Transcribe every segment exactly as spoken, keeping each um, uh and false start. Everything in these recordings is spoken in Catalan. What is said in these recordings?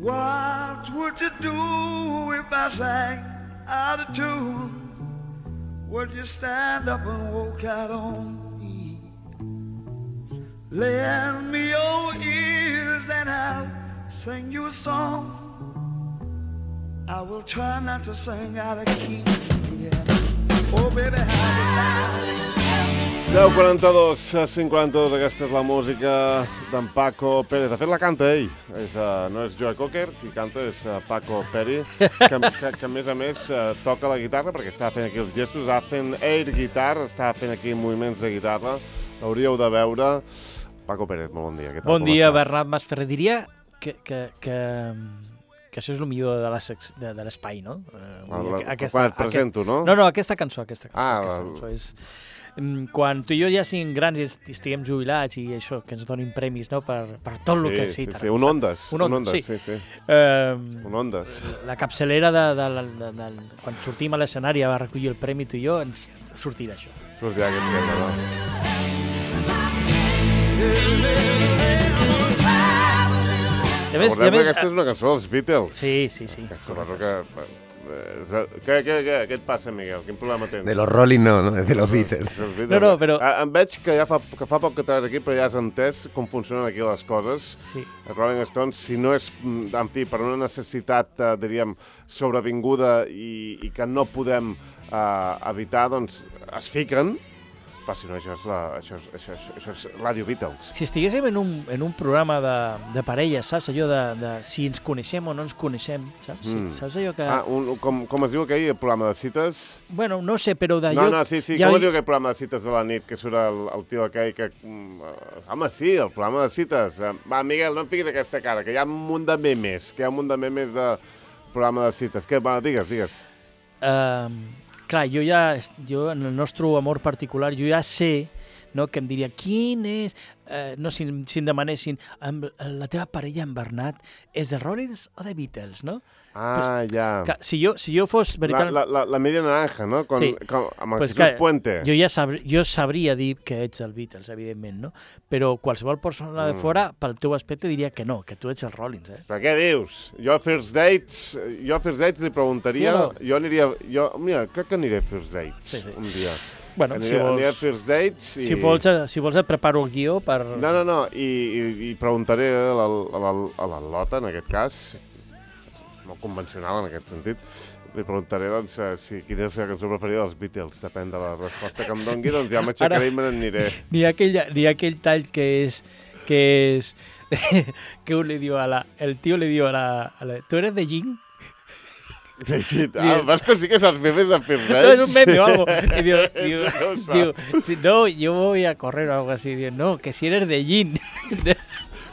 What would you do if I sang out of tune? Would you stand up and walk out on me? Lend me your ears and I'll sing you a song. I will try not to sing out of key. Yeah. Oh baby, how deu quaranta-dos, cinc quaranta-dos, aquesta és la música d'en Paco Pérez. De fet, la canta ell. És, uh, no és Joe Cocker, qui canta és uh, Paco Pérez, que, que, que a més a més uh, toca la guitarra, perquè està fent aquí els gestos, està fent air guitar, està fent aquí moviments de guitarra. L'hauríeu de veure. Paco Pérez, molt bon dia. Què tal, bon dia, Bernat Masferrer. Diria que, que, que, que això és el millor de l'espai, no? Uh, aquesta, quan et presento, aquest, no? No, no, aquesta cançó, aquesta cançó. Ah, aquesta cançó és... Quan tu i jo ja siguem grans i estiguem jubilats i això, que ens donin premis, no?, per, per tot el sí, que... Sí, sí, sí, un Ondas. Un Ondas, sí. sí. sí, sí. Uh, un Ondas. La capçalera de, de, de, de, de... Quan sortim a l'escenari a recollir el premi, tu i jo, ens sortirà això. Sortirà aquest tema, no? I a més, i a més, aquesta és una cançó dels Beatles. Sí, sí, sí. Que suposo que... Què, què, què, què et passa, Miguel? Quin problema tens? De los Rolling no, no? De los Beatles. No, no, però... Em veig que ja fa, que fa poc que treus aquí, però ja has entès com funcionen aquí les coses. Sí. Els Rolling Stones, si no és, en fi, per una necessitat, eh, diríem, sobrevinguda i, i que no podem eh, evitar, doncs es fiquen. Però si no, això és, la, això, és, això, és, això és Radio Beatles. Si estiguéssim en un, en un programa de, de parelles, saps? Allò de, de si ens coneixem o no ens coneixem, saps? Mm. Saps allò que... Ah, un, com, com es diu aquell, el programa de cites? Bueno, no sé, però d'allò... No, no, sí, sí, ja... com es diu aquell programa de cites de la nit, que surt el, el tio aquell que... Uh, home, sí, el programa de cites. Uh, va, Miguel, no em fiquis aquesta cara, que hi ha un munt de memes, que hi ha un munt de memes de programa de cites. Què, va, digues, digues. Uh... Clar, jo ja, jo en el nostre amor particular, jo ja sé, no, que em diria, quin és... Eh, no, si, si em demanessin, la teva parella, en Bernat, és de Rollins o de Beatles, no? Ah, pues, ja. Que, si, jo, si jo fos... Veritat... La, la, la media naranja, no? Con, sí. con, amb el pues Jesús que, Puente. Jo ja sabr, jo sabria dir que ets el Beatles, evidentment, no? Però qualsevol persona de fora, pel teu aspecte, diria que no, que tu ets el Rollins, eh? Però què dius? Jo a First Dates, jo a First Dates li preguntaria... Sí, no? Jo aniria... Jo, mira, crec que aniré a First Dates sí, sí. un dia. Bueno, aniré, si vols, aniré a First Dates i... Si vols, si vols et preparo el guió per... No, no, no, i, i, i preguntaré a la Lota, en aquest cas, molt convencional en aquest sentit, li preguntaré doncs, si quina és la cançó preferida dels Beatles. Depèn de la resposta que em doni, doncs ja m'aixecaré i me n'aniré. Ni aquell, ni aquell tall que és... que és... que un li diu a la... El tio li diu a la... A la ¿tú eres de Jing? Ah, vas que sí que saps memes de First Dates. No, es un meme o algo. Y digo, digo, digo si, no, yo voy a correr o algo así. Digo, no, que si eres de Jin.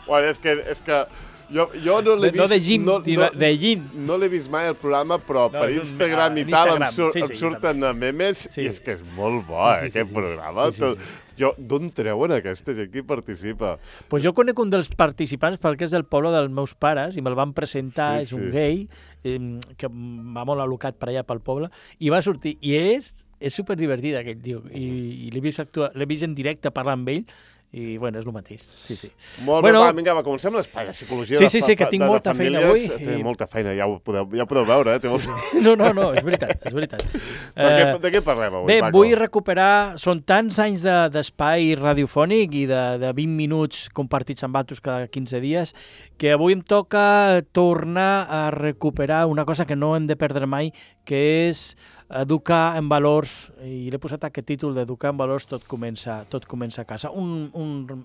Bueno, és que, és que jo, jo no l'he vist... No de Jin, no, no, de Jin. No l'he vist mai el programa, però no, per Instagram i tal em, sur, sí, sí, em surten memes sí. I és que és molt bo, eh, sí, sí, aquest sí, programa. Sí, sí, sí. Jo, d'on treuen aquesta gent que hi participa? Pues jo conec un dels participants perquè és del poble dels meus pares i me'l van presentar, sí, és un sí. gay, eh, que va molt alocat per allà pel poble, i va sortir, i és, és superdivertit aquell tio, i, i l'he vist, actuar, l'he vist en directe parlar amb ell, i, bueno, és el mateix. Sí, sí. Molt bueno, bé, va, vinga, va, comencem l'espai de psicologia sí, sí, de, sí, que tinc de, de molta famílies. feina avui. Té I... molta feina, ja ho podeu, ja ho podeu veure, eh? Té sí, molta... sí. No, no, no, és veritat, és veritat. de, què, de què parlem avui, bé, Paco? Vull recuperar, són tants anys de, d'espai radiofònic i de, de vint minuts compartits amb altres cada quinze dies, que avui em toca tornar a recuperar una cosa que no hem de perdre mai, que és educar en valors, i l'he posat aquest títol d'educar en valors, tot comença, tot comença a casa. Un, un,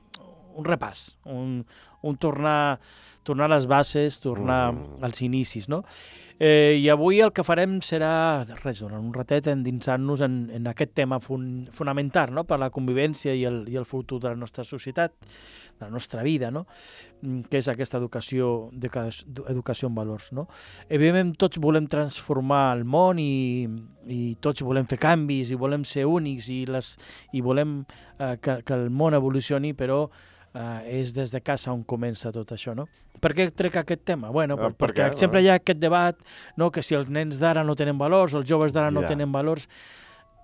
un repàs, un, un tornar, tornar a les bases, tornar mm. als inicis, no? Eh, I avui el que farem serà, res, durant un ratet, endinsar-nos en, en aquest tema fun, fonamental, no?, per la convivència i el, i el futur de la nostra societat, de la nostra vida, no?, que és aquesta educació, educació en valors, no? Evidentment, tots volem transformar el món i, i tots volem fer canvis i volem ser únics i, les, i volem eh, que, que el món evolucioni, però Uh, és des de casa on comença tot això, no? Per què trec aquest tema? Bueno, uh, per perquè què? sempre hi ha aquest debat, no?, que si els nens d'ara no tenen valors, els joves d'ara no yeah. tenen valors.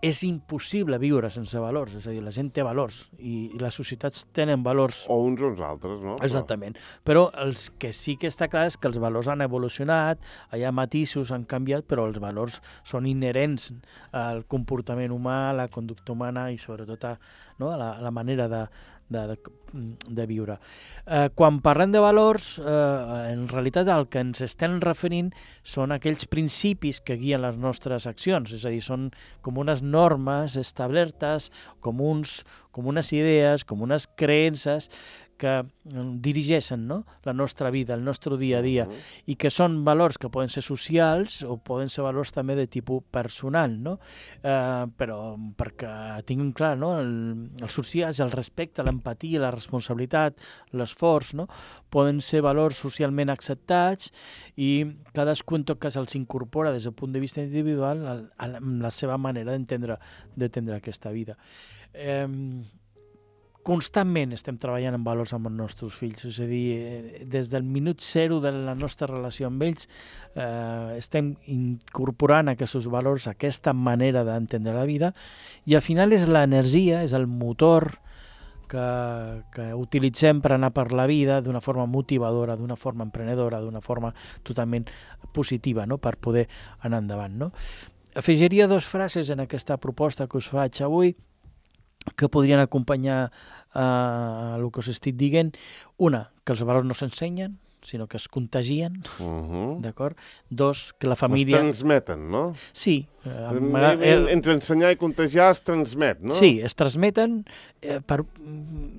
és impossible viure sense valors, és a dir, la gent té valors i, i les societats tenen valors. O uns o uns altres, no? Exactament. Però els que sí que està clar és que els valors han evolucionat, hi ha matisos, han canviat, però els valors són inherents al comportament humà, a la conducta humana i sobretot a, no, a, la, a la manera de, de, de, de viure. Eh, quan parlem de valors, eh, en realitat el que ens estem referint són aquells principis que guien les nostres accions, és a dir, són com unes normes establertes, com, uns, com unes idees, com unes creences que dirigeixen, no?, la nostra vida, el nostre dia a dia, uh-huh. i que són valors que poden ser socials o poden ser valors també de tipus personal, no? Eh, però perquè tinguem clar, no?, el, els socials, el respecte, l'empatia, la responsabilitat, l'esforç, no?, poden ser valors socialment acceptats i cadascú en tot cas els incorpora des del punt de vista individual amb la seva manera d'entendre d'entendre aquesta vida. Eh, Constantment estem treballant en valors amb els nostres fills, és a dir, des del minut zero de la nostra relació amb ells eh, estem incorporant aquests valors, aquesta manera d'entendre la vida, i al final és l'energia, és el motor que, que utilitzem per anar per la vida d'una forma motivadora, d'una forma emprenedora, d'una forma totalment positiva, no?, per poder anar endavant, no? Afegiria dues frases en aquesta proposta que us faig avui, que podrien acompanyar eh, el que us estic dient. Una, que els valors no s'ensenyen, sinó que es contagien, uh-huh. d'acord? Dos, que la família... Es transmeten, no? Sí. Eh, eh, Entre ensenyar i contagiar es transmet, no? Sí, es transmeten eh, per,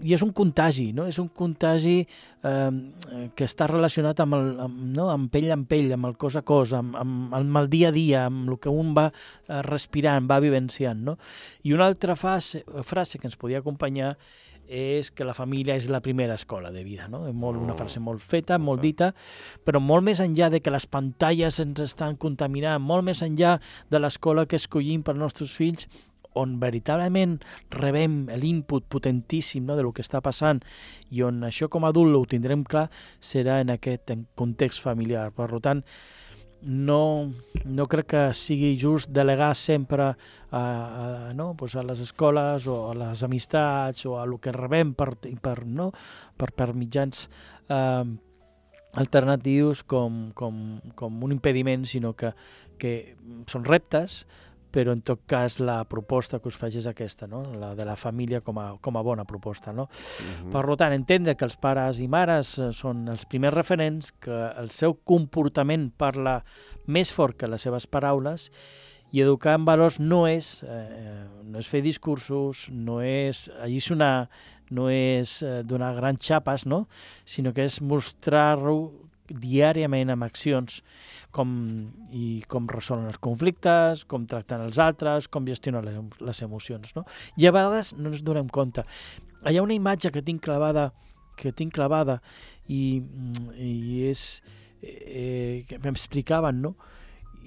i és un contagi, no? És un contagi eh, que està relacionat amb, el, amb, no? amb pell en pell, amb el cos a cos, amb, amb, amb el dia a dia, amb el que un va eh, respirant, va vivenciant, no? I una altra frase, frase que ens podia acompanyar és que la família és la primera escola de vida, no? És molt, una frase molt feta, molt dita, però molt més enllà de que les pantalles ens estan contaminant, molt més enllà de l'escola que escollim per als nostres fills, on veritablement rebem l'input potentíssim, no?, de lo que està passant i on això com a adult ho tindrem clar, serà en aquest context familiar. Per tant, no, no crec que sigui just delegar sempre a, a, no, pues a les escoles o a les amistats o a el que rebem per, per, no, per, per mitjans eh, alternatius com, com, com un impediment, sinó que, que són reptes, però en tot cas la proposta que us faig és aquesta, no?, la de la família com a, com a bona proposta, no? Uh-huh. Per tant, entendre que els pares i mares són els primers referents, que el seu comportament parla més fort que les seves paraules, i educar en valors no és, eh, no és fer discursos, no és alliçonar, no és eh, donar grans xapes, no?, sinó que és mostrar-ho diàriament amb accions com, i com resolen els conflictes, com tracten els altres, com gestionen les, les emocions, no? I a vegades no ens donem compte. Hi ha una imatge que tinc clavada, que tinc clavada i, i és eh, que m'explicaven, no?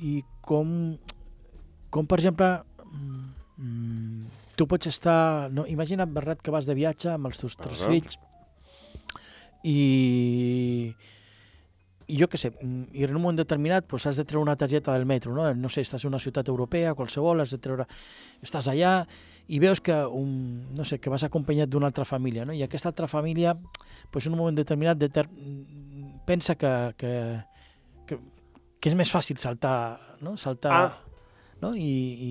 I com, com per exemple, mm, tu pots estar... No? Imagina't, Bernat, que vas de viatge amb els teus tres uh-huh. fills i... I jo què sé, i en un moment determinat pues, has de treure una targeta del metro, no? No sé, estàs en una ciutat europea, qualsevol, has de treure... Estàs allà i veus que, un, no sé, que vas acompanyat d'una altra família, no? I aquesta altra família, pues, en un moment determinat, deter... pensa que, que, que, que és més fàcil saltar, no? Saltar... Ah. No? I, i,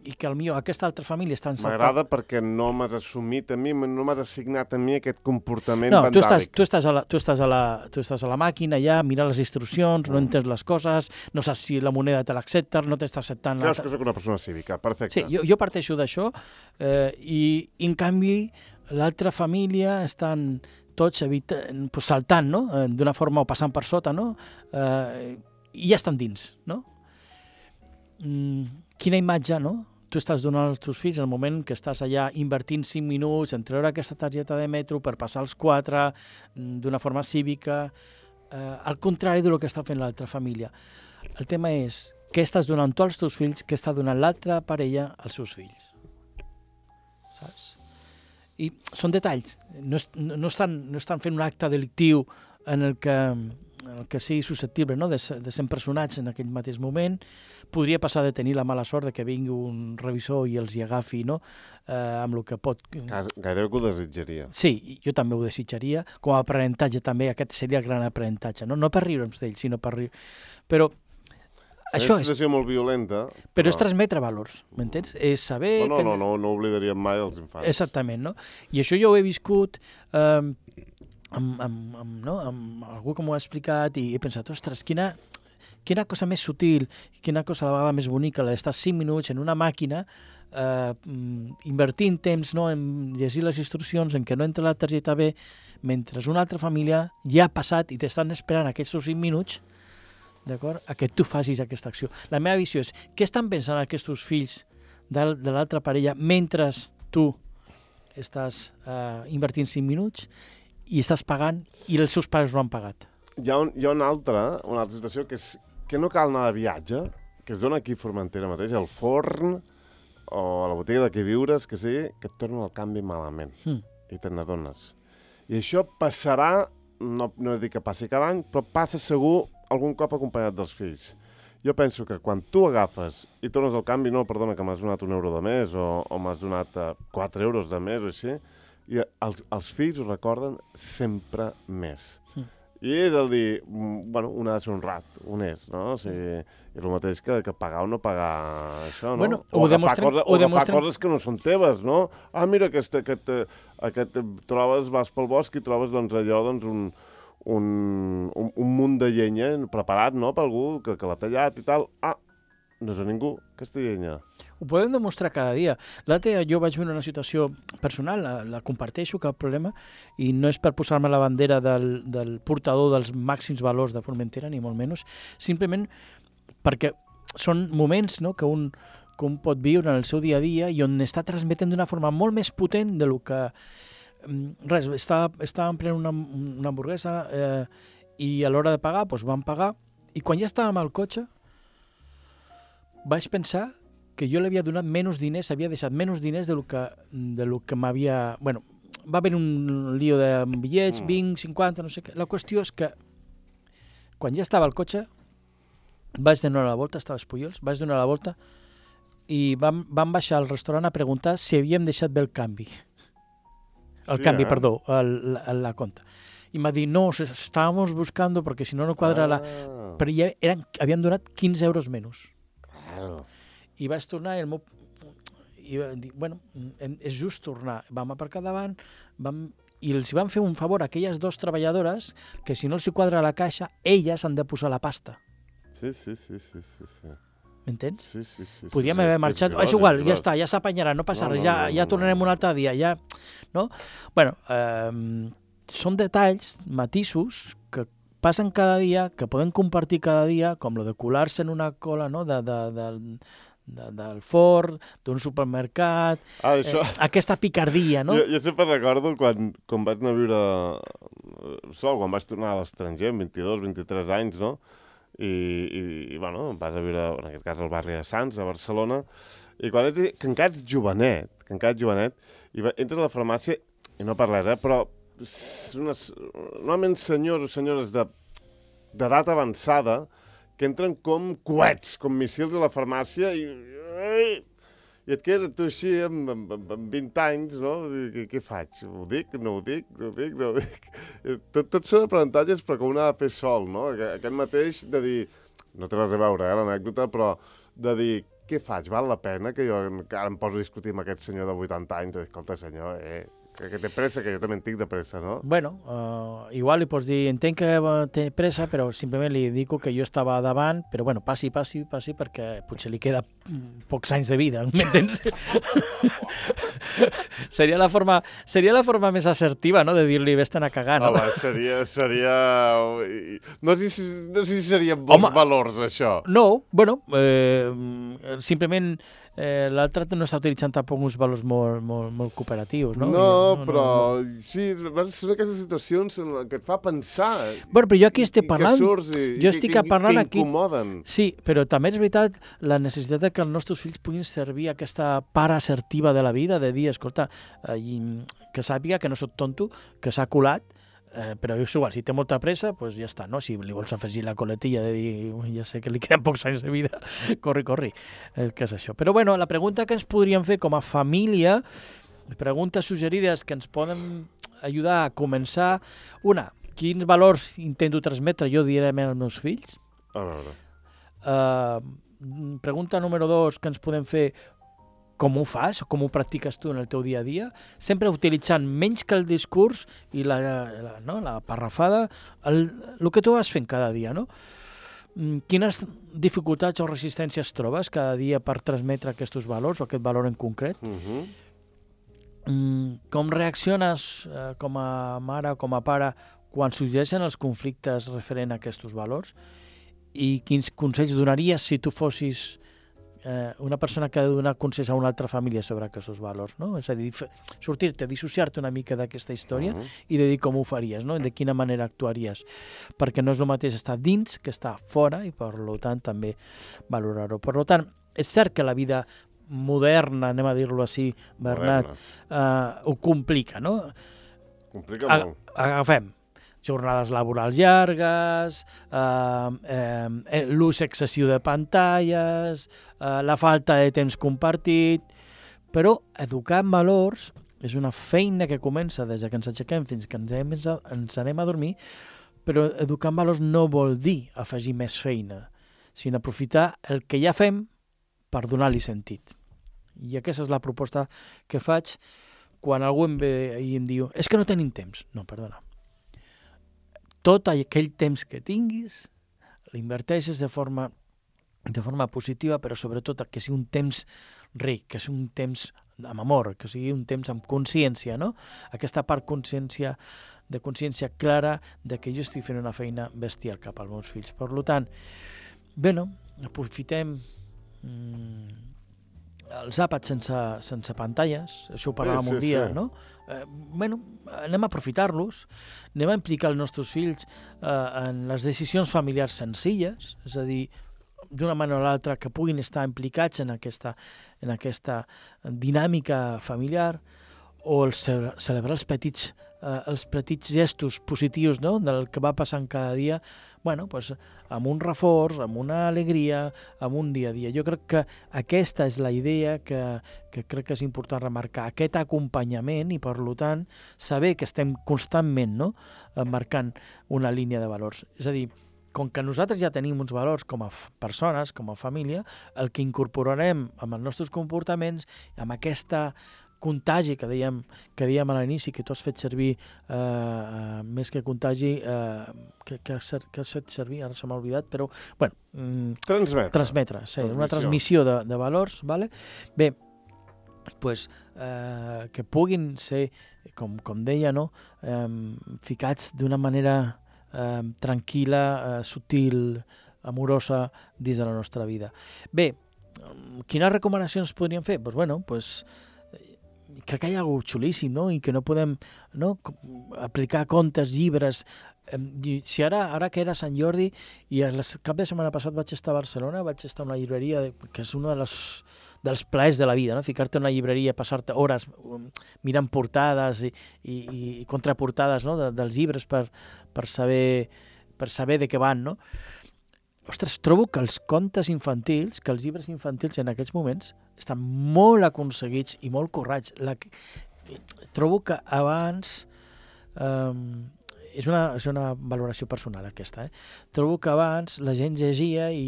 i que potser aquesta altra família està encertada. M'agrada perquè no m'has assumit a mi, no m'has assignat a mi aquest comportament no, vandàlic. Tu estàs, tu, estàs a la, tu, estàs a la, tu estàs a la màquina ja, mira les instruccions, mm. no entens les coses, no saps si la moneda te l'accepta, no t'està acceptant... Creus que soc una persona cívica, perfecte. Sí, jo, jo parteixo d'això eh, i, en canvi, l'altra família estan tots evita, pues, saltant, no? Eh, d'una forma o passant per sota, no? Eh, i ja estan dins, no? Mm, quina imatge, no? Tu estàs donant als teus fills el moment que estàs allà invertint cinc minuts en treure aquesta targeta de metro per passar els quatre d'una forma cívica, eh, al contrari del que està fent l'altra família. El tema és què estàs donant tu als teus fills, què està donant l'altra parella als seus fills. Saps? I són detalls. No, és, no, estan, no estan fent un acte delictiu en el que el que sigui susceptible, no? de, de ser empresonats en aquell mateix moment. Podria passar de tenir la mala sort de que vingui un revisor i els hi agafi, no? eh, amb el que pot... Gairebé que ho desitjaria. Sí, jo també ho desitjaria. Com a aprenentatge també, aquest seria el gran aprenentatge. No, no per riure'ns d'ell, sinó per riure. Però és això una situació és... molt violenta. Però, però és transmetre valors, m'entens? És saber... No, no, que... no, no, no oblidaríem mai els infants. Exactament, no? I això jo ho he viscut... Eh, Amb, amb, amb, no? amb algú que m'ho ha explicat i he pensat, ostres, quina, quina cosa més sutil, quina cosa a la vegada més bonica, la d'estar cinc minuts en una màquina eh, invertint temps, no? en llegir les instruccions, en que no entra la targeta B, mentre una altra família ja ha passat i t'estan esperant aquests cinc minuts, d'acord, a que tu facis aquesta acció. La meva visió és, què estan pensant aquests fills de, de l'altra parella mentre tu estàs eh, invertint cinc minuts i estàs pagant i els seus pares no han pagat. Hi ha, un, hi ha una, altra, una altra situació que és que no cal anar de viatge, que es dona aquí a Formentera mateix, al forn o a la botiga de què viures, que sigui, que et tornen el canvi malament mm. i te n'adones. I això passarà, no, no dic que passi cada any, però passa segur algun cop acompanyat dels fills. Jo penso que quan tu agafes i tornes el canvi, no, perdona, que m'has donat un euro de més o, o m'has donat uh, quatre euros de més o així, i els, els fills ho recorden sempre més. Mm. I és el dir, bueno, un ha de ser honrat, honest, no? O sigui, és el mateix que, que pagar o no pagar això, no? Bueno, o ho agafar, demostrem, cosa, ho o agafar demostrem... coses que no són teves, no? Ah, mira, aquest, aquest, aquest trobes, vas pel bosc i trobes doncs, allò, doncs, un, un, un, un munt de llenya preparat, no?, per algú que, que l'ha tallat i tal. Ah, no és a ningú, aquesta llenya. Ho podem demostrar cada dia. L'altre jo vaig veure una situació personal, la, la comparteixo, cap problema, i no és per posar-me la bandera del, del portador dels màxims valors de Formentera, ni molt menys, simplement perquè són moments, no?, que un, que un pot viure en el seu dia a dia i on està transmetent d'una forma molt més potent de lo que... Res, estava, estàvem prenent una, una hamburguesa eh, i a l'hora de pagar doncs vam pagar, i quan ja estàvem al cotxe vaig pensar que jo li havia donat menys diners, havia deixat menys diners de lo que, de lo que m'havia... Bueno, va haver un lío de bitllets, mm. vint, cinquanta, no sé què. La qüestió és que quan ja estava al cotxe vaig donar la volta, estava a Espollols, vaig donar la volta i vam, vam baixar al restaurant a preguntar si havíem deixat bé el canvi. El sí, canvi, eh? perdó, el, la, la compta. I m'ha dit, no, estábamos buscando porque si no no quadra ah. la... Però ja eren, havien donat quinze euros menys. Claro. I vaig tornar i el meu... I va dir, bueno, és just tornar. Vam aparcar davant vam... i els van fer un favor a aquelles dues treballadores que si no els hi quadra la caixa, elles han de posar la pasta. Sí, sí, sí, sí, sí. sí. M'entens? Sí, sí, sí. Podríem sí, haver sí, marxat. És, és igual, és ja està, ja s'apanyarà, no passa no, res, no, ja, no, ja no, tornarem no. un altre dia, ja... No? Bueno, eh, són detalls, matisos, que passen cada dia, que poden compartir cada dia, com lo de colar-se en una cola, no?, de, de, de, de, del forn, d'un supermercat, ah, això... eh, aquesta picardia, no? Jo, jo sempre recordo quan, quan vaig anar a viure sol, quan vaig tornar a l'estranger, amb vint-i-dos, vint-i-tres anys, no?, i, i, i bueno, vas a viure, en aquest cas, al barri de Sants, a Barcelona, i quan ets, que encara ets jovenet, que encara ets jovenet, i va, entres a la farmàcia, i no parles, eh, però unes, normalment senyors o senyores de d'edat avançada que entren com coets, com missils a la farmàcia i, i, i et quedes tu així amb, amb, amb vint anys, no? I, què faig? Ho dic? No ho dic? No ho dic? No ho dic? Tot, tot són aprenentatges, però que un ha de fer sol, no? Aquest mateix de dir, no té res a veure, eh, l'anècdota, però de dir, què faig? Val la pena que jo ara em poso a discutir amb aquest senyor de vuitanta anys? Escolta, senyor, eh... Que, que té pressa, que jo també en tinc de pressa, no? Bueno, uh, igual li pots dir, entenc que té pressa, però simplement li dic que jo estava davant, però bueno, passi, passi, passi, perquè potser li queda pocs anys de vida, m'entens? seria, la forma, seria la forma més assertiva, no?, de dir-li, vés-te'n a cagar, no? Home, seria... seria... No sé si, no sé si serien bons Home, valors, això. No, bueno, eh, simplement... Eh, l'altre no està utilitzant tampoc uns valors molt, molt, molt cooperatius, no? No, no però no, no. sí, són aquestes situacions en què et fa pensar. Bueno, però jo aquí estic parlant... I que surts i, jo i estic que, parlant que incomoden. Aquí, sí, però també és veritat la necessitat que els nostres fills puguin servir aquesta part assertiva de la vida, de dir, escolta, eh, que sàpiga que no soc tonto, que s'ha colat, Eh, però és igual, si té molta pressa, doncs ja està, no? Si li vols afegir la coletilla de dir, ja sé que li queden pocs anys de vida, corri, corri, eh, què és això. Però bueno, la pregunta que ens podríem fer com a família, preguntes suggerides que ens poden ajudar a començar, una, quins valors intento transmetre jo diàriament als meus fills? A veure. Uh, pregunta número dos que ens podem fer, com ho fas, com ho practiques tu en el teu dia a dia, sempre utilitzant menys que el discurs i la, la, no, la parrafada, el, el que tu vas fent cada dia, no? Quines dificultats o resistències trobes cada dia per transmetre aquests valors o aquest valor en concret? Uh-huh. Mm, com reacciones eh, com a mare o com a pare quan sorgeixen els conflictes referent a aquests valors? I quins consells donaries si tu fossis eh, una persona que ha de donar consells a una altra família sobre aquests valors, no? És a dir, sortir-te, dissociar-te una mica d'aquesta història uh-huh. i de dir com ho faries, no? De quina manera actuaries, perquè no és el mateix estar dins que estar fora i per tant també valorar-ho. Per tant, és cert que la vida moderna, anem a dir-lo així, Bernat, eh, ho complica, no? Complica A- molt. Agafem jornades laborals llargues, eh, eh, l'ús excessiu de pantalles, eh, la falta de temps compartit, però educar en valors és una feina que comença des que ens aixequem fins que ens, hem, ens anem a dormir, però educar en valors no vol dir afegir més feina, sinó aprofitar el que ja fem per donar-li sentit. I aquesta és la proposta que faig quan algú em ve i em diu és que no tenim temps. No, perdona. Tot aquell temps que tinguis l'inverteixes de forma, de forma positiva, però sobretot que sigui un temps ric, que sigui un temps amb amor, que sigui un temps amb consciència, no? Aquesta part consciència, de consciència clara de que jo estic fent una feina bestial cap als meus fills. Per tant, bé, no? Aprofitem mm, els àpats sense, sense pantalles, això ho parlàvem Sí, sí, un dia, sí. no? Eh, bueno, anem a aprofitar-los, anem a implicar els nostres fills eh, en les decisions familiars senzilles, és a dir, d'una manera o l'altra que puguin estar implicats en aquesta, en aquesta dinàmica familiar, o el ce- celebrar els petits, eh, els petits gestos positius, no?, del que va passant cada dia, bueno, pues, amb un reforç, amb una alegria, amb un dia a dia. Jo crec que aquesta és la idea que, que crec que és important remarcar, aquest acompanyament i, per tant, saber que estem constantment, no?, eh, marcant una línia de valors. És a dir, com que nosaltres ja tenim uns valors com a f- persones, com a família, el que incorporarem amb els nostres comportaments, amb aquesta contagi que dèiem, que dèiem a l'inici, que tu has fet servir eh, eh, més que contagi, eh, que, que, has, que has fet servir, ara se m'ha oblidat, però, bueno, mm, Transmetre. transmetre, sí, una transmissió de, de valors, vale? Bé, pues, eh, que puguin ser, com, com deia, no? eh, ficats d'una manera eh, tranquil·la, eh, sutil, amorosa dins de la nostra vida. Bé, quines recomanacions podríem fer? Pues, bueno, pues, crec que hi ha alguna cosa xulíssim, no? I que no podem, no?, com- aplicar contes, llibres. Em, i si ara, ara que era Sant Jordi i el cap de setmana passat vaig estar a Barcelona, vaig estar a una llibreria de, que és un de les, dels plaers de la vida, no? Ficar-te en una llibreria, passar-te hores um, mirant portades i, i, i contraportades, no?, de, dels llibres per, per, saber, per saber de què van, no? Ostres, trobo que els contes infantils, que els llibres infantils en aquests moments estan molt aconseguits i molt currats. La, trobo que abans... Um, és, una, és una valoració personal aquesta, eh? Trobo que abans la gent llegia i,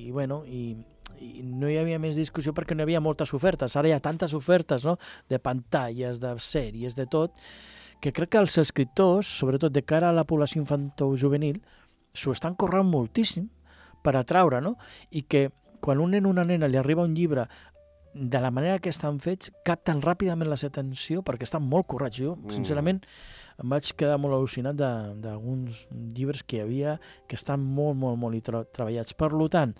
i, bueno, i, i no hi havia més discussió perquè no hi havia moltes ofertes. Ara hi ha tantes ofertes, no?, de pantalles, de sèries, de tot, que crec que els escriptors, sobretot de cara a la població infantojuvenil, s'ho estan corrent moltíssim per atraure, no? I que quan un nen o una nena li arriba un llibre de la manera que estan fets, capten ràpidament la seva atenció perquè estan molt currats. Jo, sincerament, em vaig quedar molt al·lucinat de- d'alguns llibres que hi havia que estan molt, molt, molt i tra treballats. Per tant,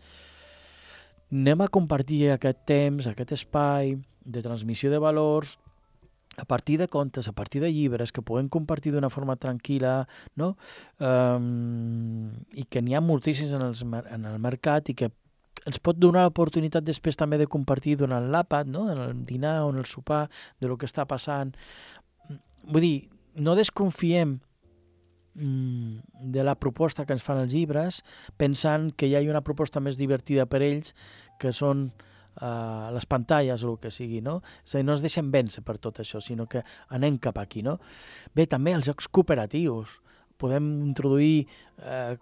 anem a compartir aquest temps, aquest espai de transmissió de valors, a partir de contes, a partir de llibres, que puguem compartir d'una forma tranquil·la, no? Um, i que n'hi ha moltíssims en, els, mer- en el mercat i que ens pot donar l'oportunitat després també de compartir durant l'àpat, no?, en el dinar o en el sopar, de lo que està passant. Vull dir, no desconfiem de la proposta que ens fan els llibres, pensant que hi ha una proposta més divertida per ells, que són uh, les pantalles o el que sigui, no? És a dir, no es deixen vèncer per tot això, sinó que anem cap aquí, no? Bé, també els jocs cooperatius. Podem introduir, eh,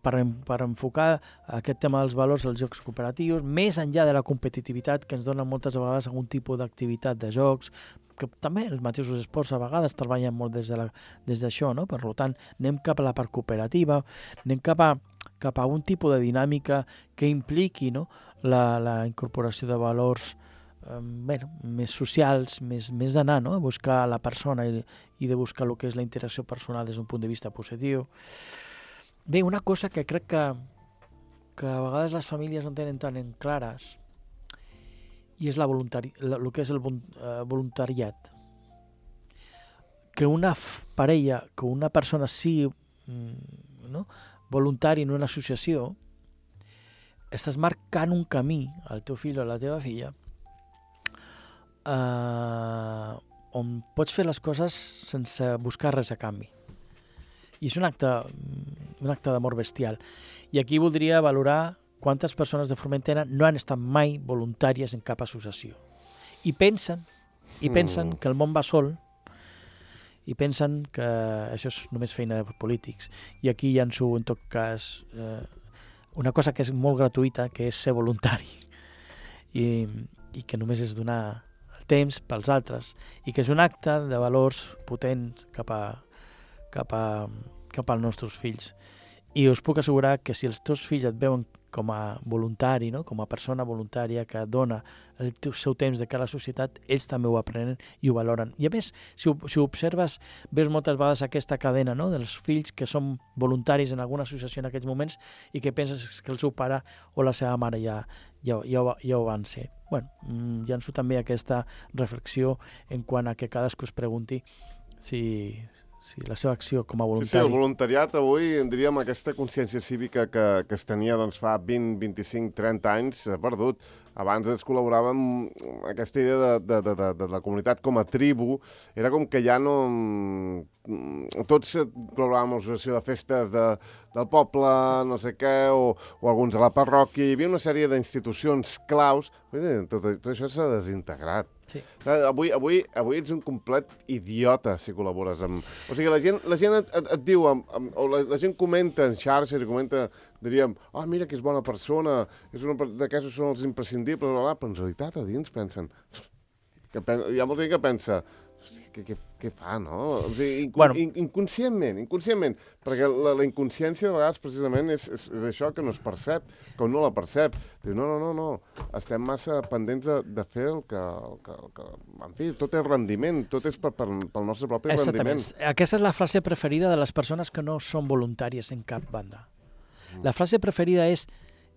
per, per enfocar aquest tema dels valors als jocs cooperatius, més enllà de la competitivitat que ens dona moltes vegades algun tipus d'activitat de jocs, que també els mateixos esports a vegades treballen molt des de la, des d'això, no? Per tant, anem cap a la part cooperativa, anem cap a, cap a un tipus de dinàmica que impliqui, no? la, la incorporació de valors eh, bueno, més socials, més, més d'anar, no? A buscar la persona i, i de buscar el que és la interacció personal des d'un punt de vista positiu. Bé, una cosa que crec que, que a vegades les famílies no tenen tan en clares, i és la voluntari, el que és el voluntariat. Que una parella, que una persona sigui no, voluntari en una associació, estàs marcant un camí al teu fill o a la teva filla eh, on pots fer les coses sense buscar res a canvi. I és un acte, un acte d'amor bestial. I aquí voldria valorar quantes persones de Formentera no han estat mai voluntàries en cap associació. I pensen, i pensen mm. que el món va sol, i pensen que això és només feina de polítics. I aquí llanço, en tot cas, eh, una cosa que és molt gratuïta, que és ser voluntari. I, i que només és donar el temps pels altres. I que és un acte de valors potents cap a, cap a, cap als nostres fills. I us puc assegurar que si els teus fills et veuen com a voluntari, no? Com a persona voluntària que dona el seu temps de cara a la societat, ells també ho aprenen i ho valoren. I a més, si ho, si ho observes, veus moltes vegades aquesta cadena, no? Dels fills que són voluntaris en alguna associació en aquests moments i que penses que el seu pare o la seva mare ja, ja, ja, ja ho van ser. Bueno, llanço també aquesta reflexió en quant a que cadascú es pregunti si... Sí, la seva acció com a voluntari. Sí, sí, el voluntariat avui, diríem, aquesta consciència cívica que, que es tenia doncs, fa vint, vint-i-cinc, trenta anys, s'ha perdut. Abans es col·laborava amb aquesta idea de, de, de, de, de la comunitat com a tribu. Era com que ja no... Tots col·laboràvem a l'associació de festes de, del poble, no sé què, o, o alguns a la parròquia. Hi havia una sèrie d'institucions claus. Tot, tot això s'ha desintegrat. Sí. Avui, avui, avui ets un complet idiota si col·labores amb... O sigui, la gent, la gent et, et, et diu, amb, amb, o la, la gent comenta en xarxes i comenta, diríem, ah, oh, mira que és bona persona, és una d'aquests són els imprescindibles, bla, bla, però en realitat a dins pensen... Que pen, hi ha molta gent que pensa... Què, què, què fa, no? O sigui, inc bueno. in, inconscientment, inconscientment, perquè la, la inconsciència de vegades precisament és, és, és això que no es percep, que no la percep. Diu, no, no, no, no, estem massa pendents de, de fer el que, el que, el que... En fi, tot és rendiment, tot és per, per, pel nostre propi rendiment. Aquesta és la frase preferida de les persones que no són voluntàries en cap banda. La frase preferida és,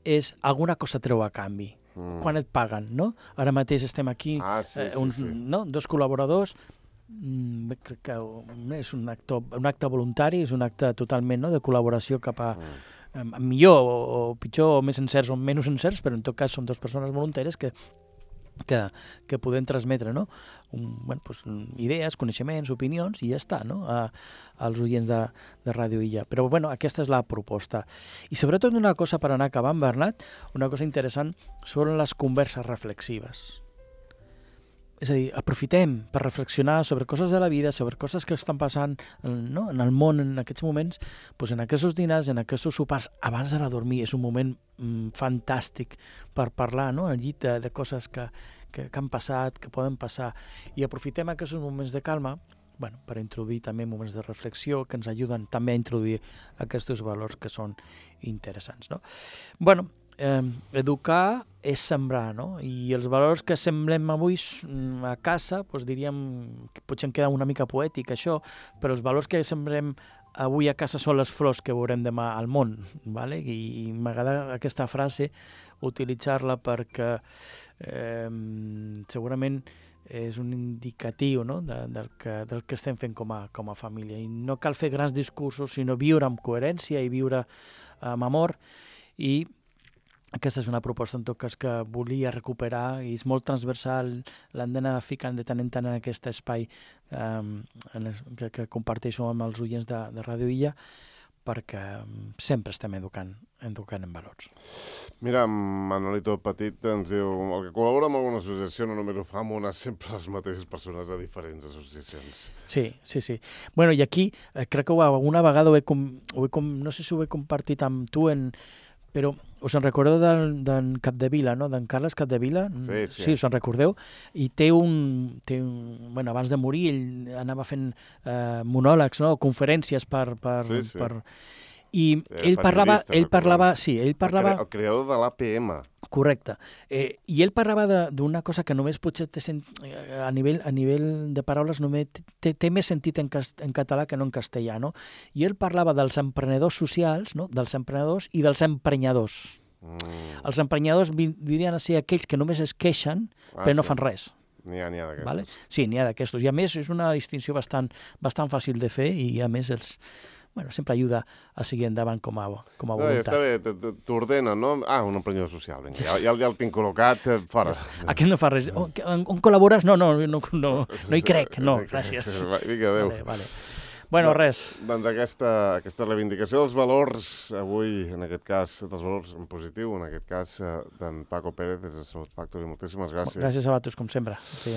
és alguna cosa treu a canvi. Mm. Quan et paguen, no? Ara mateix estem aquí, ah, sí, eh, un, sí, sí. No? dos col·laboradors, mm, crec que és un acte, un acte voluntari, és un acte totalment, no?, de col·laboració cap a mm. eh, millor o, o pitjor o més encerts o menys encerts, però en tot cas són dues persones voluntàries que que, que podem transmetre, no? Un, bueno, pues, idees, coneixements, opinions, i ja està, no? A, als oients de, de Ràdio Illa. Però, bueno, aquesta és la proposta. I sobretot una cosa per anar acabant, Bernat, una cosa interessant són les converses reflexives. És a dir, aprofitem per reflexionar sobre coses de la vida, sobre coses que estan passant, no?, en el món en aquests moments, doncs en aquests dinars, en aquests sopars, abans d'anar a dormir. És un moment mm, fantàstic per parlar, no?, al llit de, de coses que, que, que han passat, que poden passar. I aprofitem aquests moments de calma, bueno, per introduir també moments de reflexió que ens ajuden també a introduir aquests valors que són interessants, no? Bueno, Eh, educar és sembrar, no? I els valors que sembrem avui a casa, doncs diríem que potser em queda una mica poètic això, però els valors que sembrem avui a casa són les flors que veurem demà al món, ¿vale? I, i m'agrada aquesta frase utilitzar-la perquè eh, segurament és un indicatiu, no?, de, del, que, del que estem fent com a, com a família. I no cal fer grans discursos, sinó viure amb coherència i viure amb amor i aquesta és una proposta, en tot cas, que volia recuperar i és molt transversal, l'hem d'anar ficant de tant en tant en aquest espai um, en el, que, que comparteixo amb els oients de, de Ràdio Illa, perquè sempre estem educant, educant en valors. Mira, Manolito Petit ens diu el que col·labora amb alguna associació no només ho fa amb una, sempre les mateixes persones a diferents associacions. Sí, sí, sí. Bueno, i aquí eh, crec que alguna vegada ho he, com, ho he com, no sé si ho he compartit amb tu, en, però us en recordeu d'en de, Capdevila, no? D'en Carles Capdevila? Sí, sí. Sí, us en recordeu? I té un, té un... Bueno, abans de morir ell anava fent eh, monòlegs, no? Conferències per... per, sí, sí. per... I eh, ell parlava... Ell parlava sí, ell parlava... El, cre el creador de l'A P M. Correcte. Eh, I ell parlava d'una cosa que només potser té sent, a, nivell, a nivell de paraules només té, té més sentit en, cast, en català que no en castellà, no? I ell parlava dels emprenedors socials, no? Dels emprenedors i dels emprenyadors. Mm. Els emprenyadors dirien a ser aquells que només es queixen ah, però no sí. fan res. N'hi ha, n'hi ha d'aquestos. Vale? Sí, n'hi ha d'aquestos. I a més és una distinció bastant, bastant fàcil de fer i a més els... Bueno, sempre ajuda a seguir endavant com a, com a voluntat. No, està bé, t'ordena, no? Ah, un emprenedor social, vinga, ja, ja, ja el tinc col·locat, fora. Aquest no fa res. On, on col·labores? No, no, no, no, no hi crec, no, gràcies. Vinga, adéu. Vale, vale. Bueno, res. Doncs aquesta, aquesta reivindicació dels valors, avui, en aquest cas, dels valors en positiu, en aquest cas, d'en Paco Pérez, des de Salut Factory. Moltíssimes gràcies. Gràcies a vosaltres, com sempre. Sí.